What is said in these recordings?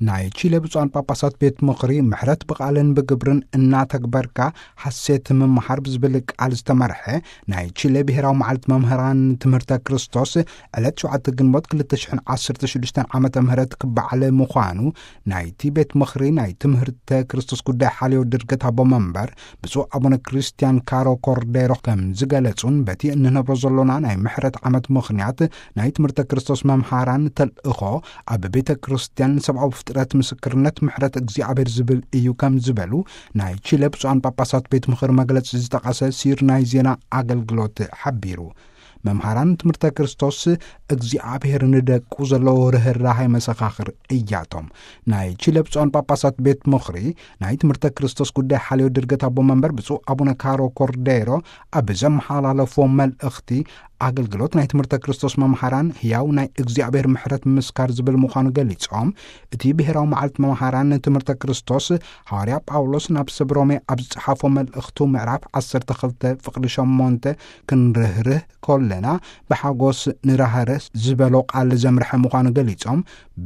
ናይ ቺለ ብፁዓን ጳጳሳት ቤት ምኽሪ፣ ምሕረት ብቓልን ብግብርን እናተግበርካ ሓሴት ምምሃር ብዝብል ቃል ዝተመርሐ ናይ ቺለ ብሔራዊ መዓልቲ መምህራን ትምህርተ ክርስቶስ ዕለት ሸውዓተ ግንቦት ክልተ ሽሕን ዓሰርተ ሽዱሽተን ዓመተ ምህረት ክበዓል ምዃኑ ናይቲ ቤት ምኽሪ ናይ ትምህርተ ክርስቶስ ጉዳይ ሓልዮ ድርገት ኣቦ መንበር ብፁዕ ኣቡነ ክርስቲያን ካሮ ኮርዴሮ ከም ዝገለጹን፣ በቲ እንነብሮ ዘሎና ናይ ምሕረት ዓመት ምኽንያት ናይ ትምህርተ ክርስቶስ መምሃራን ተልእኾ ኣብ ቤተ ክርስቲያን ሰብኣዊ ፍጥረት ምስክርነት ምሕረት እግዚኣብሔር ዝብል እዩ ከም ዝበሉ ናይ ቺለ ብፁዓን ጳጳሳት ቤት ምኽሪ መግለጺ ዝጠቐሰ ሲር ናይ ዜና ኣገልግሎት ሓቢሩ። መምሃራን ትምህርተ ክርስቶስ እግዚኣብሔር ንደቁ ዘለዎ ርህራሄ መሰኻኽር እያቶም። ናይ ቺለ ብፁዓን ጳጳሳት ቤት ምኽሪ ናይ ትምህርተ ክርስቶስ ጉዳይ ሓልዮ ድርገት ኣቦ መንበር ብፁዕ ኣቡነ ካሮ ኮርዴሮ ኣብ ዘመሓላለፎ መልእኽቲ፣ ኣገልግሎት ናይ ትምህርተ ክርስቶስ መምሃራን ህያው ናይ እግዚኣብሔር ምሕረት ምስካር ዝብል ምዃኑ ገሊጾም፣ እቲ ብሔራዊ መዓልቲ መምሃራን ትምህርተ ክርስቶስ፣ ሃዋርያ ጳውሎስ ናብ ሰብ ሮሜ ኣብ ዝጸሓፎ መልእኽቱ ምዕራፍ ዓሰርተ ክልተ ፍቕዲ ሸሞንተ፣ ክንርህርህ ከለና ብሓጎስ ንራህርህ ዝበሎ ቃል ዘምርሐ ምዃኑ ገሊጾም፣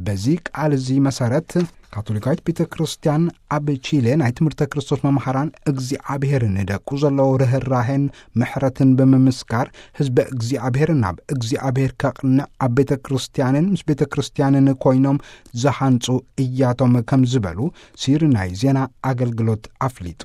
በዚ ቃል እዚ መሰረት ካቶሊካዊት ቤተ ክርስቲያን ኣብ ቺለ ናይ ትምህርተ ክርስቶስ መምሃራን እግዚኣብሔር ንደቁ ዘለዎ ርህራሄን ምሕረትን ብምምስካር፣ ህዝበ እግዚኣብሔር ናብ እግዚኣብሔር ከቕንዕ ኣብ ቤተ ክርስቲያንን ምስ ቤተ ክርስቲያንን ኮይኖም ዝሃንጹ እያቶም ከም ዝበሉ ሲር ናይ ዜና ኣገልግሎት ኣፍሊጡ።